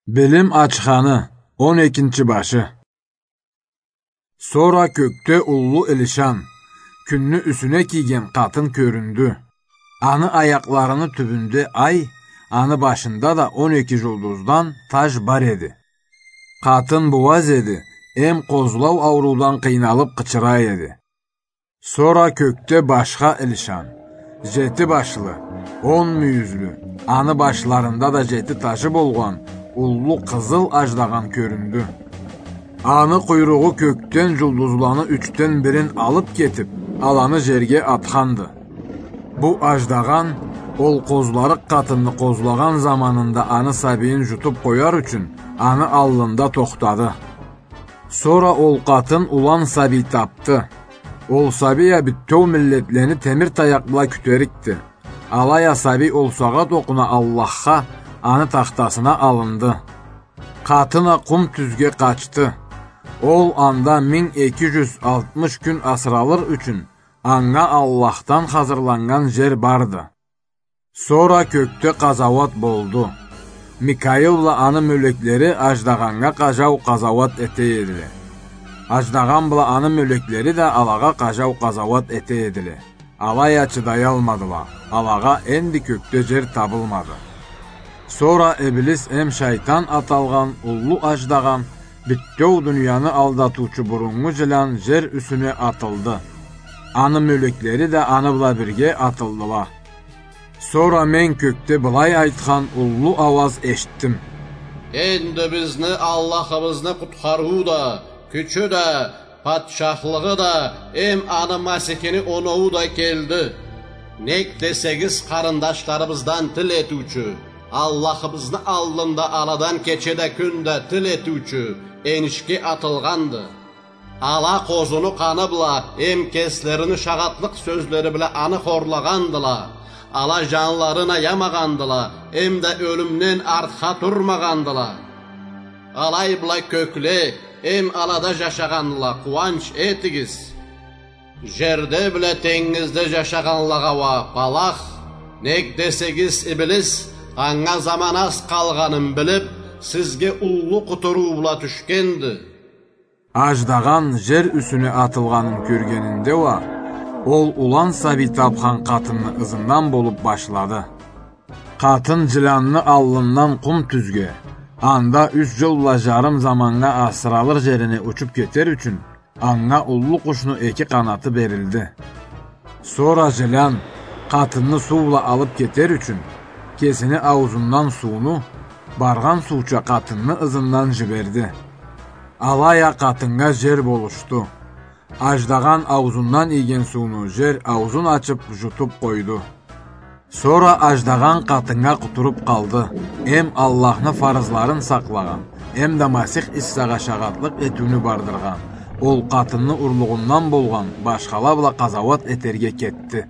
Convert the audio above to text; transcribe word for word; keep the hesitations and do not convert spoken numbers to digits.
Билим ачханы, он экинчи башы. Сора кёкде уллу илишан, кюнню юсюне кийген къатын кёрюндю. Аны аякъларыны тюбюнде ай, аны башында да он эки жулдуздан таж бар эди. Къатын бууаз эди, эм къозлау ауруулдан къыйналып къычыра эди. Сора кёкде башха илишан, жети башлы, он мюйюзлю, аны башларында да жети тажы болгъан уллу къызыл аждагъан кёрюндю. Аны къуйругъу кёкден жулдузланы ючден бирин алып кетип, аланы жерге атханды. Бу аждагъан ол къозларыкъ къатынны къозлагъан заманында аны сабийин жутуп къояр ючюн, аны аллында тохтады. Сора ол къатын улан сабий тапды. Ол сабий а бютеу миллетлени темир таякъ бла кютерикди. Алай а сабий ол сагъат окъуна Аллахха, аны тахтасына алынды. Къатын а къум тюзге къачды. Ол анда минг эки жюз алтмыш кюн асыралыр ючюн, анга Аллахдан хазырланнган жер барды. Сора кёкде къазауат болду. Микаил бла аны мёлеклери аждагъаннга къажау къазауат эте эдиле. Аждагъан бла аны мёлеклери да алагъа къажау къазауат эте эдиле. Алай а чыдаялмадыла. Алагъа энди кёкде жер табылмады. Сора Иблис эм шайтан аталгъан уллу аждагъан, бютеу дунияны алдатыучу буруннгу жылан жер юсюне атылды. Аны мёлеклери да аны бла бирге атылдыла. Сора мен кёкде былай айтхан уллу ауаз эшитдим. Энди бизни Аллахыбызны къутхарыуу да, кючю да, патчахлыгъы да, эм аны Масихини оноуу да келди. Нек десегиз, къарындашларыбыздан тил этиучю, Аллахыбызны аллында аладан кече да, кюн да тил этиучю энишге атылгъанды. Ала къозуну къаны бла эм кеслерини шагъатлыкъ сёзлери бла аны хорлагъандыла. Ала жанларын аямагъандыла, эм да ёлюмден артха турмагъандыла. Алай бла кёкле эм алада жашагъанла, къууанч этигиз. Жерде бла тенгизде жашагъанлагъа уа палах, нек десегиз, Иблис, анга заман аз къалгъанын билип, сизге уллу къутуруу бла тюшгенди. Аждагъан жер юсюне атылгъанын кёргенинде уа, ол улан сабий тапхан къатынны ызындан болуп башлады. Къатын жыланны аллындан къум тюзге, анда юч жыл бла жарым заманнга асыралыр жерине учуп кетер ючюн, анга уллу къушну эки къанаты берилди. Сора жылан, къатынны суу бла алып кетер ючюн, кесини ауузундан сууну, баргъан сууча къатынны ызындан жиберди. Алай а къатыннга жер болушду. Аждагъан ауузундан ийген сууну жер ауузун ачып, жутуп къойду. Сора аждагъан къатыннга къутуруп къалды, эм Аллахны фарызларын сакълагъан, эм да Масих Иссагъа шагъатлыкъ этиуню бардыргъан, ол къатынны урлугъундан болгъан башхала бла къазауат этерге кетди.